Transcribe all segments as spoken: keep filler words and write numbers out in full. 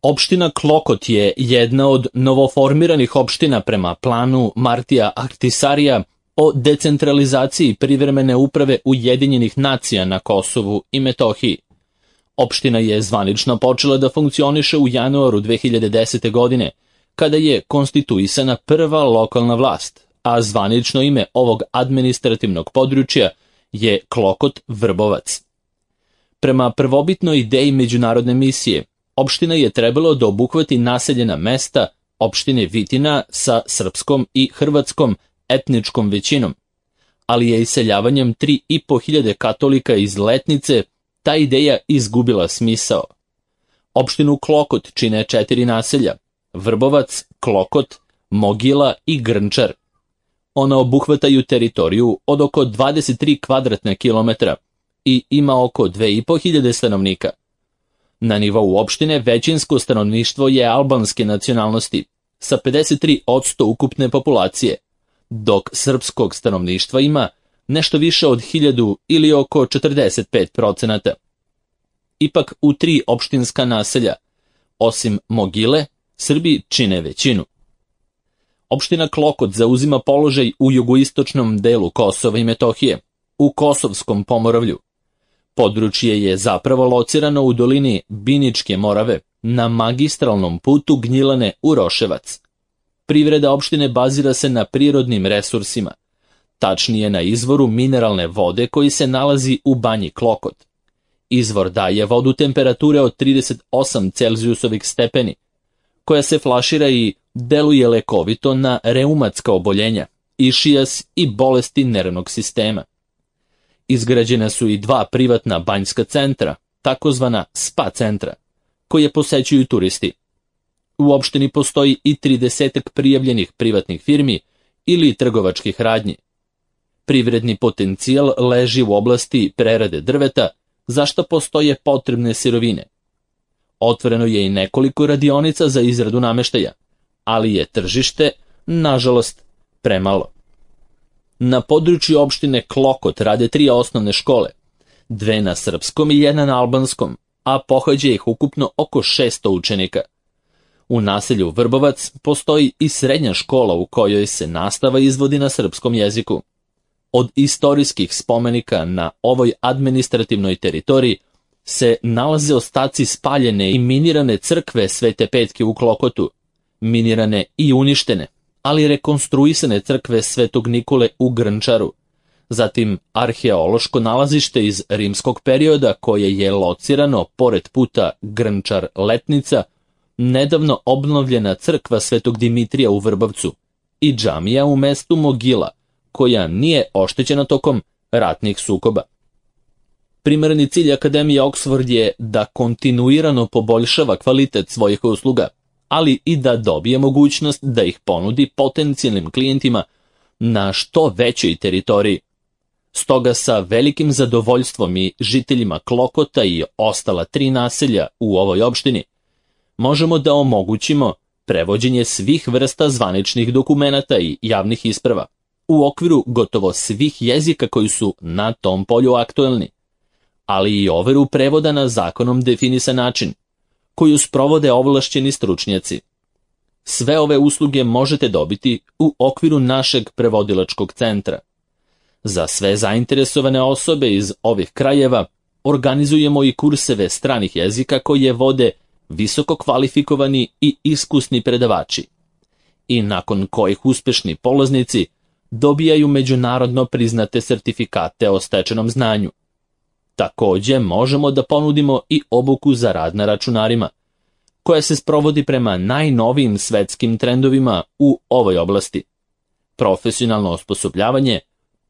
Opština Klokot je jedna od novoformiranih opština prema planu Martija Ahtisarija o decentralizaciji privremene uprave Ujedinjenih nacija na Kosovu i Metohiji. Opština je zvanično počela da funkcioniše u januaru dve hiljade desete. godine, kada je konstituisana prva lokalna vlast, a zvanično ime ovog administrativnog područja je Klokot Vrbovac. Prema prvobitnoj ideji međunarodne misije, opština je trebalo da obuhvati naseljena mesta opštine Vitina sa srpskom i hrvatskom etničkom većinom, ali je iseljavanjem tri i po hiljade katolika iz Letnice ta ideja izgubila smisao. Opštinu Klokot čine četiri naselja: Vrbovac, Klokot, Mogila i Grnčar. Ona obuhvataju teritoriju od oko dvadeset tri kvadratna kilometra i ima oko dve i po hiljade stanovnika. Na nivou opštine većinsko stanovništvo je albanske nacionalnosti sa pedeset tri posto ukupne populacije, dok srpskog stanovništva ima nešto više od hiljadu ili oko četrdeset pet procenata. Ipak u tri opštinska naselja, osim Mogile, Srbi čine većinu. Opština Klokot zauzima položaj u jugoistočnom delu Kosova i Metohije, u Kosovskom pomoravlju. Područje je zapravo locirano u dolini Biničke Morave, na magistralnom putu Gnjilane u Roševac. Privreda opštine bazira se na prirodnim resursima, tačnije na izvoru mineralne vode koji se nalazi u banji Klokot. Izvor daje vodu temperature od trideset osam celzijusovih stepeni, koja se flašira i deluje lekovito na reumatska oboljenja, išijas i bolesti nervnog sistema. Izgrađena su i dva privatna banjska centra, takozvana spa centra, koje posećuju turisti. U opštini postoji i tridesetak prijavljenih privatnih firmi ili trgovačkih radnji. Privredni potencijal leži u oblasti prerade drveta, za što postoje potrebne sirovine. Otvoreno je i nekoliko radionica za izradu nameštaja, ali je tržište, nažalost, premalo. Na području opštine Klokot rade tri osnovne škole, dve na srpskom i jedna na albanskom, a pohađa ih ukupno oko šesto učenika. U naselju Vrbovac postoji i srednja škola u kojoj se nastava izvodi na srpskom jeziku. Od istorijskih spomenika na ovoj administrativnoj teritoriji se nalaze ostaci spaljene i minirane crkve Svete Petke u Klokotu, minirane i uništene, ali rekonstruisane crkve Svetog Nikole u Grnčaru, zatim arheološko nalazište iz rimskog perioda koje je locirano pored puta Grnčar-Letnica, nedavno obnovljena crkva Svetog Dimitrija u Vrbovcu i džamija u mestu Mogila, koja nije oštećena tokom ratnih sukoba. Primarni cilj Akademije Oxford je da kontinuirano poboljšava kvalitet svojih usluga, ali i da dobije mogućnost da ih ponudi potencijalnim klijentima na što većoj teritoriji. Stoga sa velikim zadovoljstvom i žiteljima Klokota i ostala tri naselja u ovoj opštini možemo da omogućimo prevođenje svih vrsta zvaničnih dokumenata i javnih isprava u okviru gotovo svih jezika koji su na tom polju aktuelni, ali i overu prevoda na zakonom definisan način, koju sprovode ovlašćeni stručnjaci. Sve ove usluge možete dobiti u okviru našeg prevodilačkog centra. Za sve zainteresovane osobe iz ovih krajeva organizujemo i kurseve stranih jezika koje vode visoko kvalifikovani i iskusni predavači, i nakon kojih uspešni polaznici dobijaju međunarodno priznate sertifikate o stečenom znanju. Takođe možemo da ponudimo i obuku za rad na računarima, koja se sprovodi prema najnovijim svetskim trendovima u ovoj oblasti. Profesionalno osposobljavanje,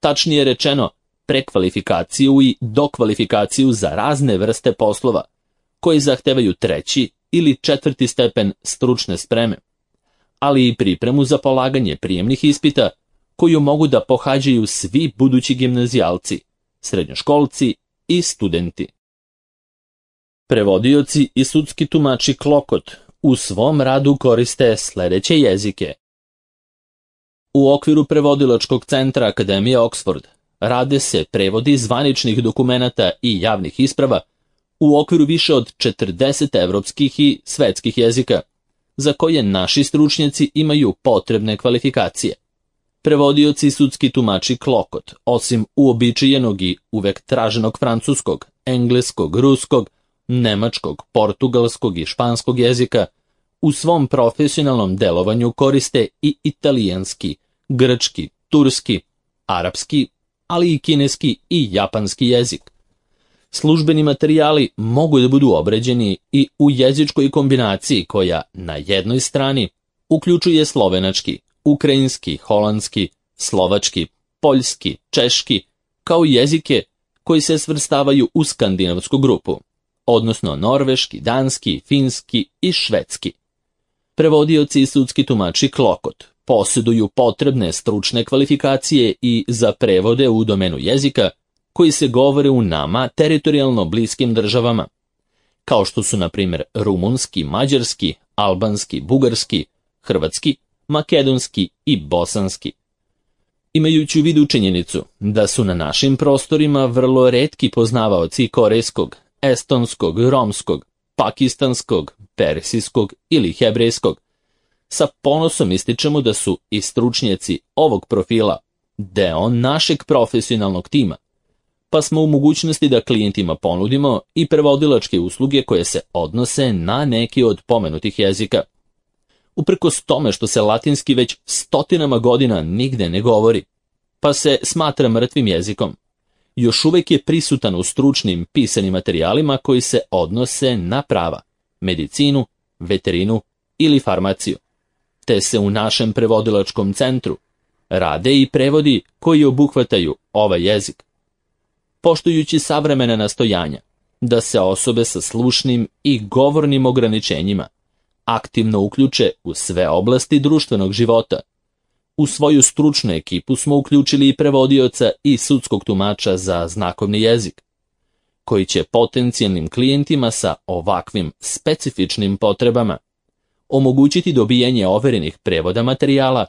tačnije rečeno prekvalifikaciju i dokvalifikaciju za razne vrste poslova, koji zahtevaju treći ili četvrti stepen stručne spreme, ali i pripremu za polaganje prijemnih ispita koju mogu da pohađaju svi budući gimnazijalci, srednjoškolci i studenti. Prevodioci i sudski tumači Klokot u svom radu koriste sledeće jezike. U okviru prevodilačkog centra Akademije Oxford rade se prevodi zvaničnih dokumenata i javnih isprava u okviru više od četrdeset evropskih i svetskih jezika, za koje naši stručnjaci imaju potrebne kvalifikacije. Prevodioci i sudski tumači Klokot, osim uobičajenog i uvek traženog francuskog, engleskog, ruskog, nemačkog, portugalskog i španskog jezika, u svom profesionalnom delovanju koriste i italijanski, grčki, turski, arapski, ali i kineski i japanski jezik. Službeni materijali mogu da budu obrađeni i u jezičkoj kombinaciji koja na jednoj strani uključuje slovenački, ukrajinski, holandski, slovački, poljski, češki, kao jezike koji se svrstavaju u skandinavsku grupu, odnosno norveški, danski, finski i švedski. Prevodioci i sudski tumači Klokot posjeduju potrebne stručne kvalifikacije i za prevode u domenu jezika koji se govore u nama teritorijalno bliskim državama, kao što su na primjer rumunski, mađarski, albanski, bugarski, hrvatski, makedonski i bosanski. Imajući u vidu činjenicu da su na našim prostorima vrlo retki poznavaoci korejskog, estonskog, romskog, pakistanskog, persijskog ili hebrejskog, sa ponosom ističemo da su i stručnjaci ovog profila deo našeg profesionalnog tima, pa smo u mogućnosti da klijentima ponudimo i prevodilačke usluge koje se odnose na neki od pomenutih jezika. Uprkos tome što se latinski već stotinama godina nigde ne govori, pa se smatra mrtvim jezikom, još uvek je prisutan u stručnim pisanim materijalima koji se odnose na prava, medicinu, veterinu ili farmaciju, te se u našem prevodilačkom centru rade i prevodi koji obuhvataju ovaj jezik. Poštujući savremena nastojanja da se osobe sa slušnim i govornim ograničenjima aktivno uključe u sve oblasti društvenog života, u svoju stručnu ekipu smo uključili i prevodioca i sudskog tumača za znakovni jezik, koji će potencijalnim klijentima sa ovakvim specifičnim potrebama omogućiti dobijanje overenih prevoda materijala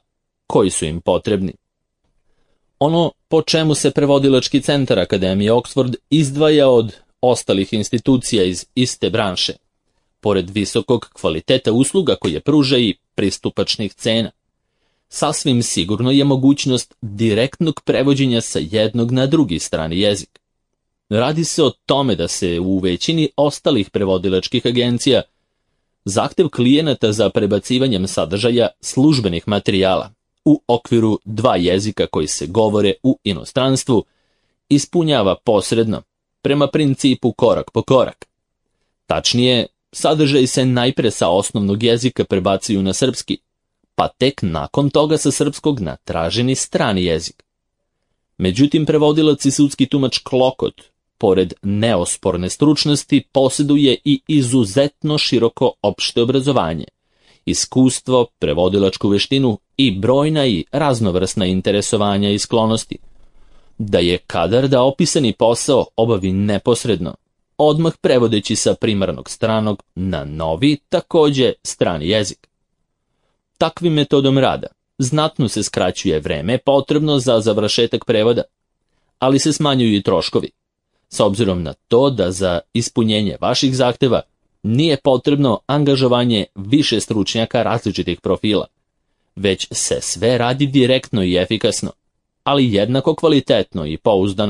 koji su im potrebni. Ono po čemu se prevodilački centar Akademije Oxford izdvaja od ostalih institucija iz iste branše, pored visokog kvaliteta usluga koje pruža i pristupačnih cena, sasvim sigurno je mogućnost direktnog prevođenja sa jednog na drugi strani jezik. Radi se o tome da se u većini ostalih prevodilačkih agencija zahtev klijenata za prebacivanjem sadržaja službenih materijala u okviru dva jezika koji se govore u inostranstvu ispunjava posredno, prema principu korak po korak. Tačnije, sadržaj se najpre sa osnovnog jezika prebacuju na srpski, pa tek nakon toga sa srpskog na traženi strani jezik. Međutim, prevodilac i sudski tumač Klokot, pored neosporne stručnosti, posjeduje i izuzetno široko opšte obrazovanje, iskustvo, prevodilačku veštinu i brojna i raznovrsna interesovanja i sklonosti, da je kadar da opisani posao obavi neposredno, odmah prevodeći sa primarnog stranog na novi, takođe strani jezik. Takvim metodom rada znatno se skraćuje vreme potrebno za završetak prevoda, ali se smanjuju i troškovi, s obzirom na to da za ispunjenje vaših zahteva nije potrebno angažovanje više stručnjaka različitih profila, već se sve radi direktno i efikasno, ali jednako kvalitetno i pouzdano.